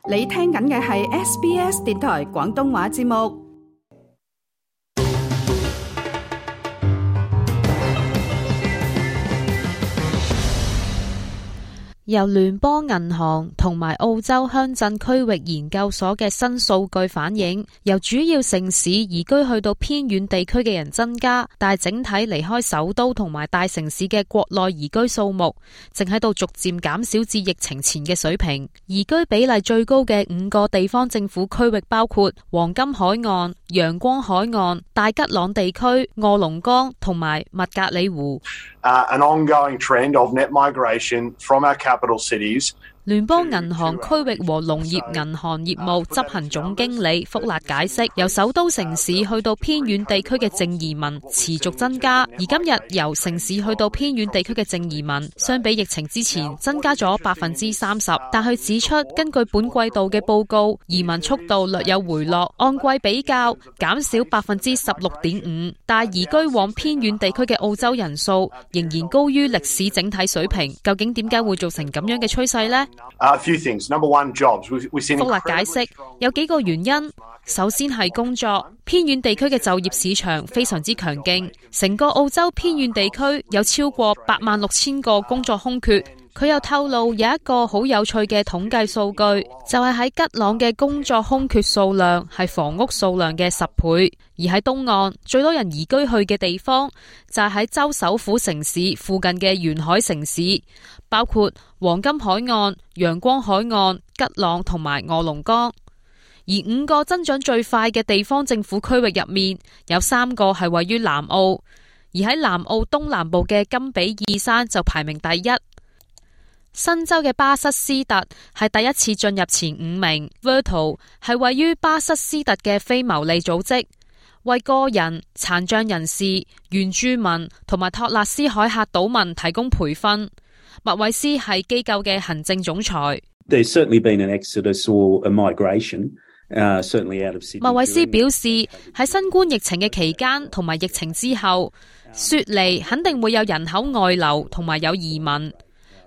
你聽緊嘅係 SBS 電台廣東話節目。由聯邦銀行同埋澳洲鄉鎮區域研究所嘅新數據反映，由主要城市移居去到偏遠地區嘅人增加，但係整體離開首都同埋大城市嘅國內移居數目正喺度逐漸減少至疫情前嘅水平。移居比例最高嘅5個地方政府區域包括黃金海岸、陽光海岸、大吉朗地區、臥龍崗同埋麥格里湖。An ongoing trend of net migration from our capital cities。聯邦銀行區域和農業銀行業務執行總經理福勒解釋，由首都城市去到偏遠地區嘅淨移民持續增加，而今日由城市去到偏遠地區嘅淨移民相比疫情之前增加咗30%。但佢指出，根據本季度嘅報告，移民速度略有回落，按季比較減少16.5%，但移居往偏遠地區嘅澳洲人數仍然高於歷史整體水平。究竟點解會造成咁樣嘅趨勢呢？A few things. Number one, jobs. 福勒解釋有幾個原因。首先係工作，偏遠地區嘅就業市場非常之強勁，成個澳洲偏遠地區有超過86,000個工作空缺。佢又透露有一個好有趣嘅統計數據，就係喺吉朗嘅工作空缺數量係房屋數量嘅10倍，而喺東岸最多人移居去嘅地方就係喺州首府城市附近嘅沿海城市，包括黃金海岸、陽光海岸、吉朗同埋臥龍崗。而5個增長最快嘅地方政府區域入面，有3個係位於南澳，而喺南澳東南部嘅金比爾山就排名第一。新州嘅巴瑟斯特係第一次進入前5名。Virtual 係位於巴瑟斯特嘅非牟利組織，為個人、殘障人士、原住民同埋托勒斯海峽島民提供培訓。麥維斯係機構嘅行政總裁。There's certainly been an exodus or a migration, certainly out of Sydney. 麥維斯表示，喺新冠疫情嘅期間同埋疫情之後，雪梨肯定會有人口外流同埋有移民。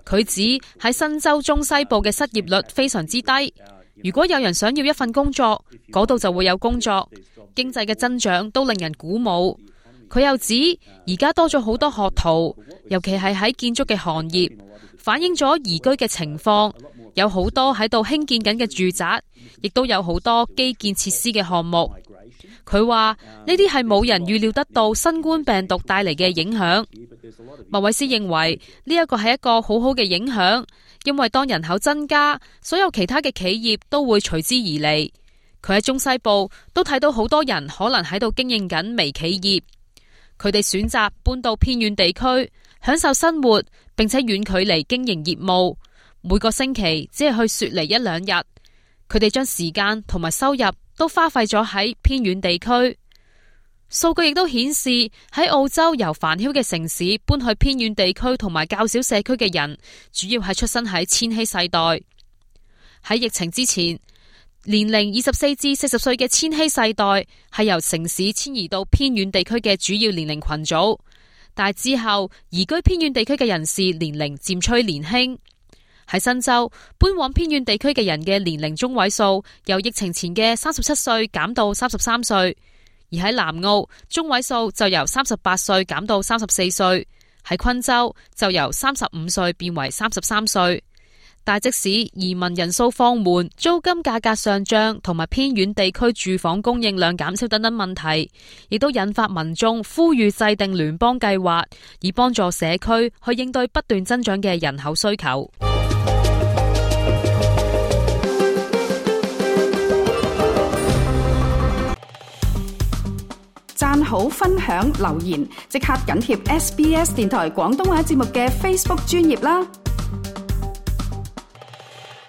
佢指喺新州中西部嘅失業率非常之低，如果有人想要一份工作，嗰度就會有工作，經濟嘅增長都令人鼓舞。佢又指而家多咗好多學徒，尤其係喺建築嘅行業，反映咗移居嘅情況，有好多喺度興建緊嘅住宅，亦都有好多基建設施嘅項目。佢話呢啲係冇人預料得到新冠病毒帶嚟嘅影響。麥維斯認為呢一個係一個好好嘅影響，因為當人口增加，所有其他嘅企業都會隨之而嚟。佢喺中西部都睇到好多人可能喺度經營緊微企業，佢哋選擇搬到偏遠地區享受生活，並且遠距離經營業務，每個星期只係去雪梨1-2日。佢哋將時間同埋收入都花費咗喺偏遠地區。數據亦都顯示，喺澳洲由繁囂嘅城市搬去偏遠地區同埋較少社區嘅人，主要係出生喺千禧世代。喺疫情之前，年齡24至40歲嘅千禧世代係由城市遷移到偏遠地區嘅主要年齡群組，但係之後移居偏遠地區嘅人士年齡漸趨年輕。喺新州，搬往偏遠地區嘅人嘅年齡中位數由疫情前嘅37歲減到33歲，而喺南澳，中位數就由38歲減到34歲，喺昆州就由35歲變為33歲。但即使移民人數放緩、租金價格上漲同埋偏遠地區住房供應量減少等等問題，亦都引發民眾呼籲制定聯邦計劃，以幫助社區去應對不斷增長嘅人口需求。讚好、分享、留言，即刻緊貼SBS 電台廣東話節目嘅 Facebook 專頁啦！